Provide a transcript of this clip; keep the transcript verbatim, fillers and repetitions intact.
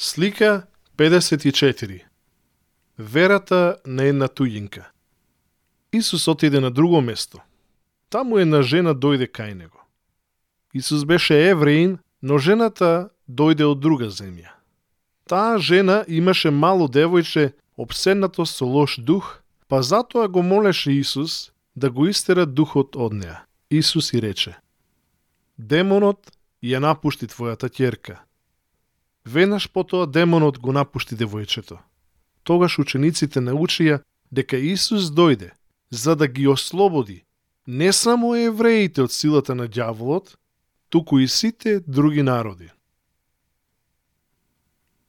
Слика педесет и четири. Верата на една туѓинка. Исус отиде на друго место. Таму една жена дојде кај него. Исус беше евреин, но жената дојде од друга земја. Таа жена имаше мало девојче обседнато со лош дух, па затоа го молеше Исус да го истера духот од неа. Исус и рече: демонот ја напушти твојата ќерка. Веднаш потоа демонот го напушти девојчето. Тогаш учениците научија дека Исус дојде за да ги ослободи не само евреите од силата на ѓаволот, туку и сите други народи.